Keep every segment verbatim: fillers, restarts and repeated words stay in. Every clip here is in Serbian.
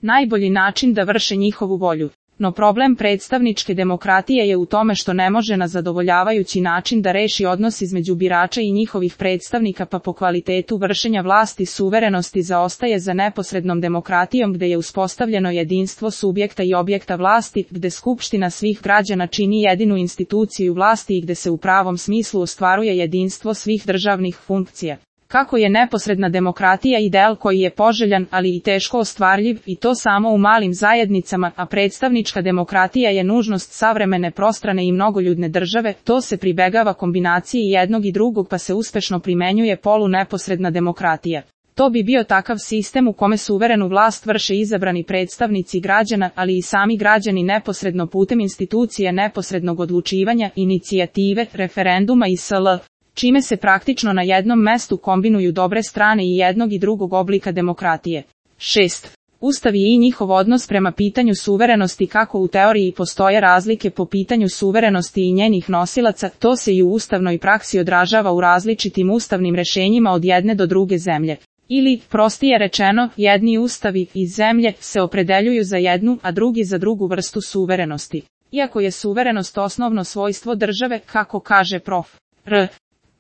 najbolji način da vrše njihovu volju. No problem predstavničke demokratije je u tome što ne može na zadovoljavajući način da reši odnos između birača i njihovih predstavnika, pa po kvalitetu vršenja vlasti suverenosti zaostaje za neposrednom demokratijom gde je uspostavljeno jedinstvo subjekta i objekta vlasti, gde skupština svih građana čini jedinu instituciju vlasti i gde se u pravom smislu ostvaruje jedinstvo svih državnih funkcija. Kako je neposredna demokratija ideal koji je poželjan, ali i teško ostvarljiv, i to samo u malim zajednicama, a predstavnička demokratija je nužnost savremene prostrane i mnogoljudne države, to se pribegava kombinaciji jednog i drugog pa se uspešno primenjuje polu neposredna demokratija. To bi bio takav sistem u kome suverenu vlast vrše izabrani predstavnici građana, ali i sami građani neposredno putem institucije neposrednog odlučivanja, inicijative, referenduma i sl. čime se praktično na jednom mestu kombinuju dobre strane i jednog i drugog oblika demokratije. šest. Ustav i njihov odnos prema pitanju suverenosti. Kako u teoriji postoje razlike po pitanju suverenosti i njenih nosilaca, to se i u ustavnoj praksi odražava u različitim ustavnim rešenjima od jedne do druge zemlje. Ili, prostije rečeno, jedni ustavi iz zemlje se opredeljuju za jednu, a drugi za drugu vrstu suverenosti. Iako je suverenost osnovno svojstvo države, kako kaže prof. R.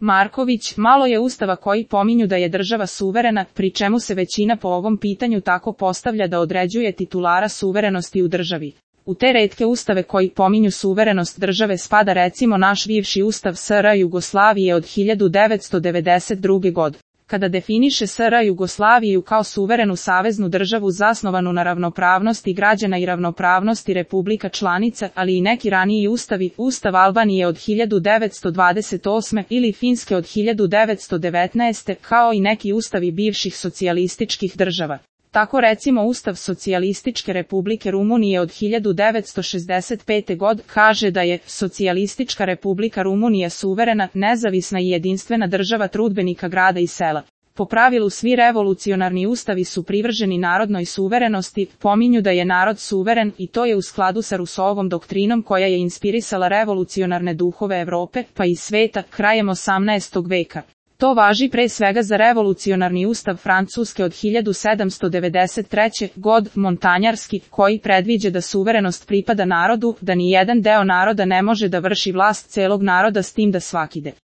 Marković, malo je ustava koji pominju da je država suverena, pri čemu se većina po ovom pitanju tako postavlja da određuje titulara suverenosti u državi. U te retke ustave koji pominju suverenost države spada recimo naš bivši ustav S R Jugoslavije od hiljadu devetsto devedeset druge. godine. Kada definiše S R Jugoslaviju kao suverenu saveznu državu zasnovanu na ravnopravnosti građana i ravnopravnosti republika članica, ali i neki raniji ustavi, Ustav Albanije od hiljadu devetsto dvadeset osme. ili Finske od hiljadu devetsto devetnaeste. kao i neki ustavi bivših socijalističkih država. Tako recimo Ustav Socijalističke republike Rumunije od hiljadu devetsto šezdeset pete. godine kaže da je Socijalistička republika Rumunija suverena, nezavisna i jedinstvena država trudbenika grada i sela. Po pravilu svi revolucionarni ustavi su privrženi narodnoj suverenosti, pominju da je narod suveren i to je u skladu sa Rousseauovom doktrinom koja je inspirisala revolucionarne duhove Evrope, pa i sveta, krajem osamnaestog veka. To važi pre svega za revolucionarni ustav Francuske od hiljadu sedamsto devedeset treće. godine, montanjarski, koji predviđa da suverenost pripada narodu, da ni jedan deo naroda ne može da vrši vlast celog naroda s tim da svaki de.